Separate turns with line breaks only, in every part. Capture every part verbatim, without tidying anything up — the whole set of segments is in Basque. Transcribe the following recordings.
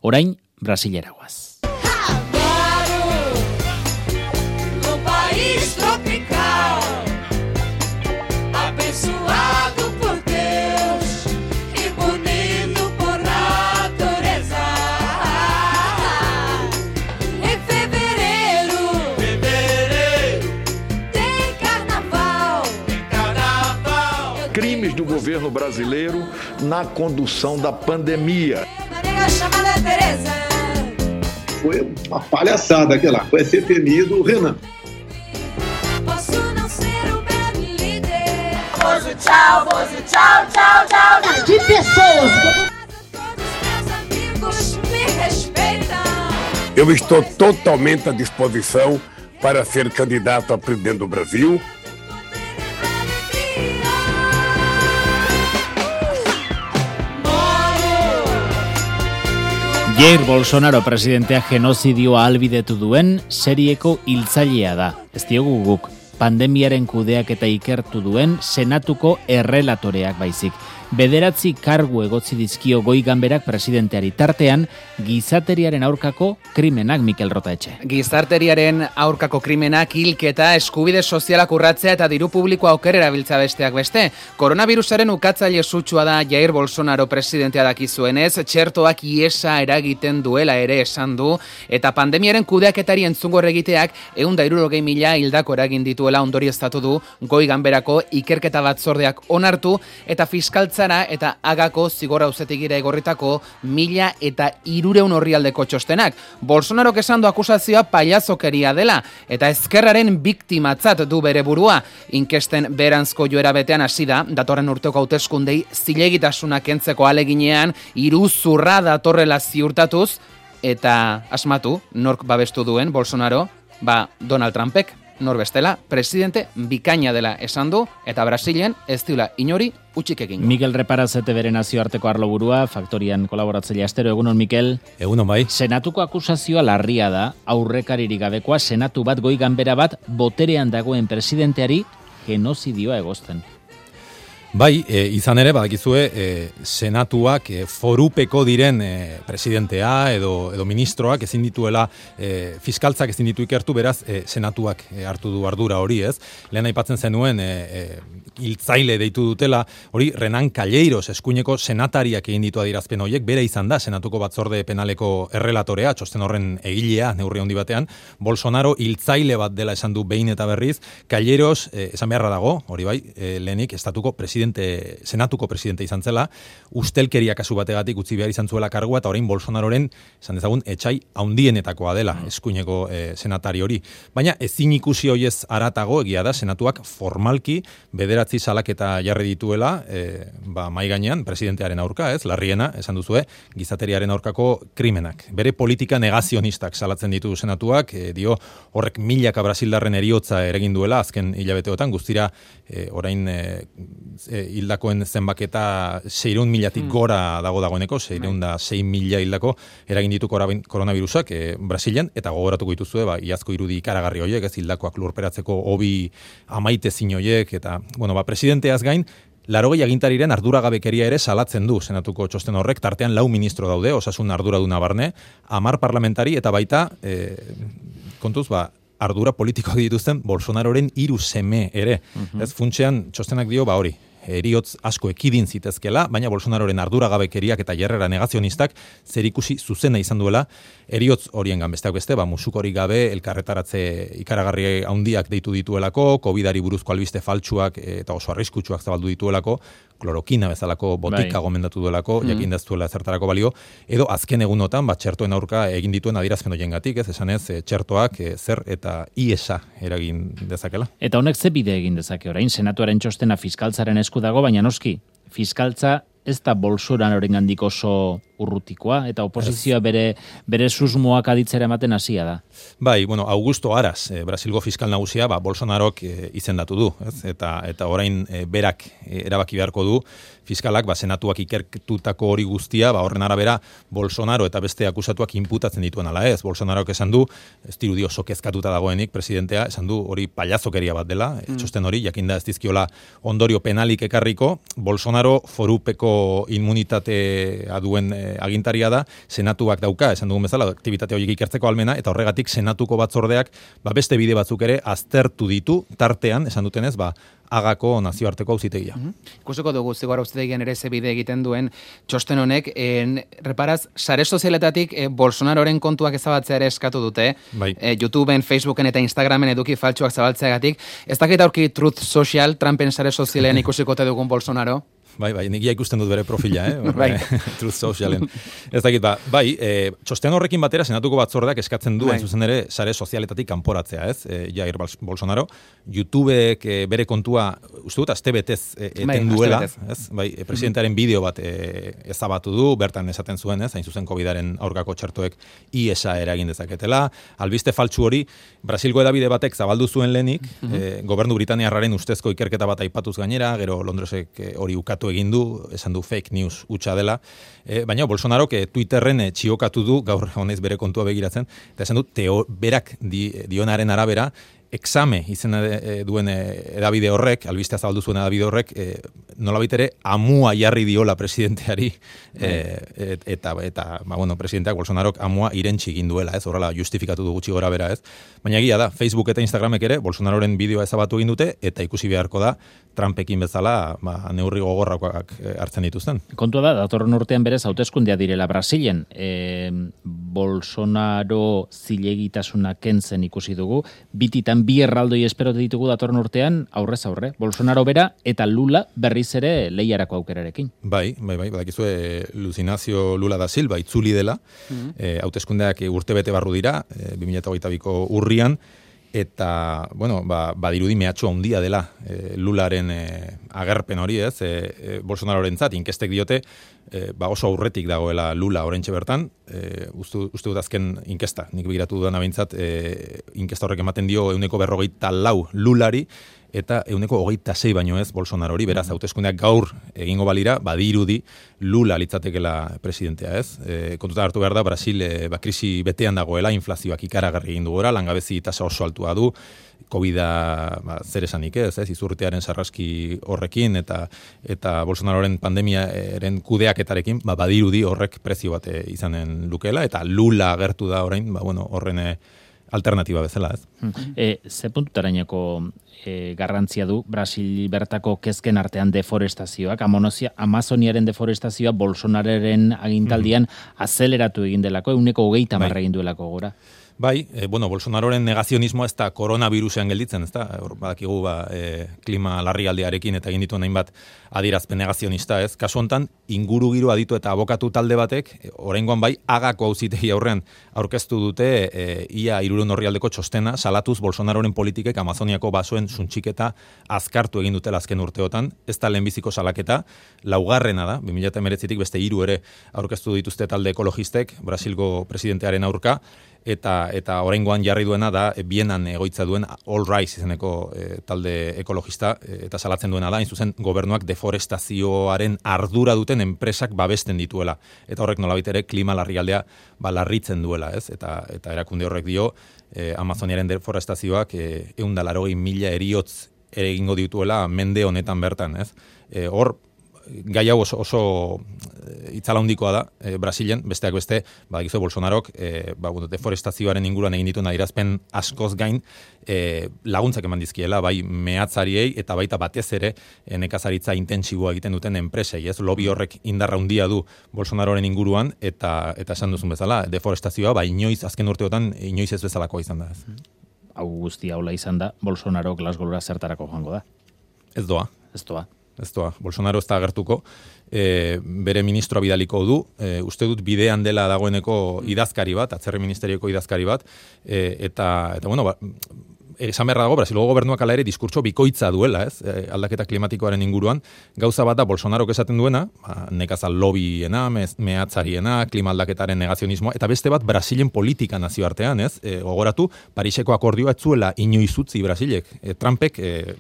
Orain, Brasilera guaz.
Crimes do governo brasileiro na condução da pandemia.
Foi uma palhaçada aquela, foi ser temido o Renan.
Posso não ser o bad líder. Bozo, tchau, bozo, tchau, tchau, tchau.
De pessoas.
Todos meus amigos me respeitam.
Eu estou totalmente à disposição para ser candidato a presidente do Brasil.
Jair Bolsonaro presidentea genozidioa ahalbidetu duen serieko hiltzailea da. Ez diogu guk, pandemiaren kudeaketa ikertu duen senatuko errelatoreak baizik. Bederatzi kargu egotzi dizkio goi ganberak presidenteari, tartean gizateriaren aurkako krimenak. Mikel Rotaetxe.
Gizarteriaren aurkako krimenak, hilketa, eskubide sozialak urratzea eta diru publikoa okerera biltza besteak beste. Koronavirusaren ukatzaile sutsua da Jair Bolsonaro presidentea dakizuenez, txertoak iesa eragiten duela ere esan du, eta pandemiaren kudeaketari entzungo egiteak ehun eta hirurogei mila hildako eragin dituela ondorioztatu du goi ganberako ikerketa batzordeak onartu, eta fiskaltza eta agako zigor auzitegira egorritako mila eta hirureun orrialdeko txostenak. Bolsonarok esan du akusazioa pailazokeria dela eta ezkerraren biktimatzat du bere burua. Inkesten beranzko joera betean hasi da, datorren urteko hauteskundei zilegitasuna kentzeko aleginean iruzurra datorrela ziurtatuz, eta asmatu nork babestu duen Bolsonaro, ba Donald Trumpek. Nor bestela, presidente bikaina dela esan du, eta Brasilen ez diula inori utzik egin.
Mikel Reparazete bere nazioarteko arloburua, Faktorian kolaboratzailea astero. Egunon, Mikel.
Egunon, bai.
Senatuko akusazioa larria da, aurrekaririk gabekoa, senatu bat, goi ganbera bat, boterean dagoen presidenteari genozidioa egozten.
Bai, e, izan ere, badakizue, e, senatuak e, forupeko diren e, presidentea edo, edo ministroak ezin dituela, e, fiskaltzak ezin ditu ikertu, beraz, e, senatuak e, hartu du ardura hori, ez? Lehen aipatzen zenuen, e, e, hiltzaile deitu dutela, hori Renan Calleiros eskuineko senatariak egin ditu adierazpen horiek, bere izan da, senatuko batzorde penaleko errelatorea, txosten horren egilea, neurri handi batean, Bolsonaro hiltzaile bat dela esan du behin eta berriz, Calleiros, e, esan beharra dago, hori bai, e, lehenik, estatuko presidente Presidente, senatuko presidente izan zela, ustelkeria kasu bategatik utzi behar izan zuela kargua, eta orain Bolsonaroren, esan dezagun, etxai haundienetakoa dela, eskuineko e, senatari hori. Baina ezin ikusi hoiez aratago, egia da, senatuak formalki bederatzi salaketa jarri dituela, e, ba, mai gainean, presidentearen aurka, ez, larriena, esan duzue, gizateriaren aurkako krimenak. Bere politika negazionistak salatzen ditu senatuak, e, dio horrek milaka brasildarren eriotza eragin duela, azken hilabeteotan, guztira, e, orain e, E, hildakoen zenbaketa seiehun milatik mm. gora dago dagoeneko, seiehun da sei mila hildako eragin ditu koronavirusak e, Brasilen, eta gogoratuko dituzue, ba, iazko irudi ikaragarri horiek, ez hildakoak lurperatzeko hobi amaitezin horiek, eta, bueno, ba, presidenteaz gain, laurogei agintariren arduragabekeria ere salatzen du senatuko txosten horrek, tartean lau ministro daude, osasun arduraduna barne, hamar parlamentari, eta baita, e, kontuz, ba, ardura politikoak dituzten Bolsonaroren hiru seme ere. Uh-huh. Ez funtsean txostenak dio, ba hori, eriotz asko ekidin zitezkela, baina Bolsonaroren arduragabekeriak eta jarrera negazionistak zerikusi zuzena izan duela, eriotz horiengan besteak beste, ba musukorik gabe elkarretaratze ikaragarri handiak deitu dituelako, covidari buruzko albiste faltsuak eta oso arriskutsuak zabaldu dituelako, klorokina bezalako botika bai. Gomendatu duelako, mm. jakin deztuela zertarako balio, edo azken egunotan, bat txertoen aurka egin dituen adierazpen horiengatik, ez esan ez, txertoak e, zer eta iesa eragin dezakela.
Eta honek ze bide egin dezake orain, senatuaren txostena fiskaltzaren esku dago, baina noski, fiskaltza ez da Bolsonarorengandik oso urrutikoa, eta oposizioa bere, bere susmoak aditzera ematen hasia da.
Bai, bueno, Augusto Aras, eh, Brasilgo fiskal nagusia, ba, Bolsonarok eh, izendatu du, ez? Eta, eta orain eh, berak eh, erabaki beharko du, fiskalak, ba, senatuak ikertutako hori guztia, ba, horren arabera, Bolsonaro eta beste akusatuak inputatzen dituen ala ez. Bolsonarok esan du, ez dirudi oso kezkatuta dagoenik, presidentea, esan du hori pailazokeria bat dela, mm. txosten hori, jakinda ez dizkiola ondorio penalik ekarriko, Bolsonaro forupeko nahiko immunitatea duen e, agintaria da, senatuak dauka, esan dugun bezala, aktibitate horiek ikertzeko almena, eta horregatik senatuko batzordeak ba, beste bide batzuk ere aztertu ditu, tartean, esan dutenez, ba, Agako nazioarteko auzitegia.
Mm-hmm. Ikusiko dugu zigor auzitegian ere ze bide egiten duen txosten honek, en, reparaz, sare sozialetatik e, Bolsonaroren kontuak ezabatzea ere eskatu dute,
bai.
e, YouTubeen, Facebooken eta Instagramen eduki faltsuak zabaltzeagatik. Ez dakit aurki Truth Social, Trumpen sare sozialean ikusikote dugun Bolsonaro?
Bai, bai, nik ikusten dut bere profila, eh?
bai.
Truth Socialen. Ez dakit, ba, bai, e, txosten horrekin batera senatuko batzordeak eskatzen du, bai. Zuzen ere, sare sozialetatik kanporatzea, ez? E, Jair Bolsonaro, YouTubeek e, bere kontua, uste dut, aste betez e, eten bai, duela, ez? Bai, e, presidentearen bideo bat e, ezabatu du, bertan esaten zuen, ez? Hain zuzen covidaren aurkako txertoek I E S A eragin dezaketela. Albiste faltsu hori, Brasilgo edabide batek zabaldu zuen lehenik, mm-hmm. e, gobernu Britaniarraren ustezko ikerketa bat aipatuz gainera, gero Londresek e, hori ukatu egin du, esan du fake news hutsa dela, e, baina Bolsonarok e, Twitterren e, txiokatu du, gaur honez bere kontua begiratzen, eta esan du, teo, berak di, dionaren arabera, exame izena e, duen e, edabide horrek, albistea zabaldu zuen edabide horrek, e, nolabait ere amua jarri diola presidenteari, e, et, eta, eta ba, bueno, presidenteak Bolsonarok amua irentsi egin duela, ez, horrela justifikatu du gutxi gora bera, ez. Baina egia da, Facebook eta Instagramek ere Bolsonaroren bideoa ezabatu egin dute, eta ikusi beharko da, Trumpekin bezala ba, neurri gogorrakoak hartzen dituzten.
Kontua da, datorren urtean berez hauteskundea direla Brasilen. E, Bolsonaro zilegitasuna kentzen ikusi dugu, bititan bi erraldoi esperote ditugu datorren urtean, aurrez aurre. Bolsonaro bera eta Lula berriz ere lehiarako aukerarekin.
Bai, bai, bai, badakizue Luis Ignacio Lula da Silva itzuli dela, mm-hmm. e, hauteskundeak urtebete barru dira, e, bi mila hogeita biko urrian, eta, bueno, ba, badirudi mehatxo handia dela e, Lularen e, agerpen hori, ez, e, e, Bolsonarorentzat inkestek diote, e, ba oso aurretik dagoela Lula orentxe bertan, e, uste, uste dut azken inkesta, nik begiratu dudan abintzat, e, inkesta horrek ematen dio euneko berrogeita lau Lulari, eta euneko hogeita sei baino ez Bolsonarori, beraz, hauteskundeak gaur egingo balira, badirudi Lula litzatekela presidentea, ez? E, kontuta hartu behar da, Brasil e, ba, krisi betean dagoela, inflazioak ikaragarri egin du gora, langabezi tasa oso altua du, Covida ba, zer esanik ez, ez, izurtearen sarraski horrekin, eta eta Bolsonaroren pandemiaren kudeaketarekin, ba, badirudi horrek prezio bat izanen lukela, eta Lula agertu da orain, ba, bueno, horren alternatiba bezala, ez?
E, ze puntutarainoko e, garrantzia du Brasil bertako kezken artean deforestazioak, Amazonia, Amazoniaren deforestazioa Bolsonararen agintaldian mm-hmm. azeleratu egin delako, euneko hogeita marra egin duelako gora.
Bai, e, bueno, Bolsonaroren negazionismoa ez da koronavirusean gelditzen, ez da, badakigu ba, e, klima larrialdiarekin eta egin dituen hainbat adierazpen negazionista, ez, kasu hontan inguru giro aditu eta abokatu talde batek, e, oraingoan bai, Agako auzitegi aurrean aurkeztu dute e, ia hirurehun orrialdeko txostena, salatuz Bolsonaroren politikek Amazoniako basoen suntxiketa azkartu egin dutela azken urteotan, ez da lehenbiziko salaketa, laugarrena da, bi mila hemeretzitik beste hiru ere aurkeztu dituzte talde ekologistek, Brasilgo presidentearen aurka, eta eta oraingoan jarri duena da Bienan egoitza duen All Rise izeneko e, talde ekologista e, eta salatzen duena da, hain zuzen gobernuak deforestazioaren ardura duten enpresak babesten dituela. Eta horrek nolabait ere klima larrialdea ba, larritzen duela, ez? Eta eta erakunde horrek dio e, Amazoniaren deforestazioak ehun eta laurogei mila heriotz ere egingo dituela mende honetan bertan, ez? E, hor gai hau oso, oso itzala handikoa da, e, Brasilen, besteak beste, badakizu Bolsonarok, e, ba, deforestazioaren inguruan egin dituen adierazpen askoz gain, e, laguntzak eman dizkiela, bai mehatzariei eta baita batez ere e, nekazaritza intentsiboa egiten duten enpresei, ez? Lobby horrek indarra handia du Bolsonaroren inguruan, eta eta esan duzun bezala, deforestazioa, bai inoiz, azken urteotan, inoiz ez bezalakoa izan da, ez?
Hau guztia hola izan da, Bolsonaro Glasgowra zertarako joango da?
Ez doa.
Ez doa.
Ez doa, Bolsonaro ez da agertuko, e, bere ministroa bidaliko du, e, uste dut bidean dela dagoeneko idazkari bat, atzerri ministerioko idazkari bat, e, eta, eta bueno, ba, esan beharra dago, Brasilgo gobernuak ala ere diskurtso bikoitza duela, ez, e, aldaketa klimatikoaren inguruan, gauza bat da Bolsonarok esaten duena, ba, nekazal lobbyena, mehatzariena, klima aldaketaren negazionismoa, eta beste bat Brasilen politika nazioartean, ez, e, gogoratu, Pariseko akordioa ez zuela inoiz utzi Brasilek, e, Trumpek, e,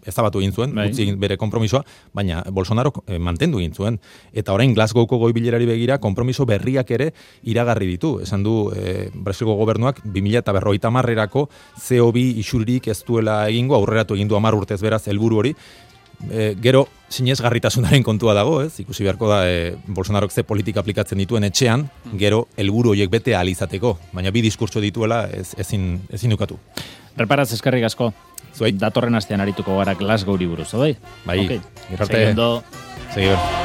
ezabatu egin zuen, bai. Utzi bere konpromisoa, baina Bolsonaro eh, mantendu egin zuen. Eta orain Glasgowko goi bilerari begira, konpromiso berriak ere iragarri ditu. Esan du, eh, Brasilgo gobernuak bi mila berrogeita hamarrerako C O bi isuririk ez duela egingo, aurreratu egin du hamar urtez beraz helburu hori, e, gero sinesgarritasunaren kontua dago, ez? Ikusi beharko da e, Bolsonarok ze politika aplikatzen dituen etxean, gero helburu horiek bete ahal izateko, baina bi diskurtso dituela ez, ezin, ezin ukatu.
Reparaz eskerrik asko.
Zuei.
Datorren astean arituko gara Glasgow-ri buruz, bai?
Bai,
okay.
gero arte.
Segi ondo.
Segi ondo.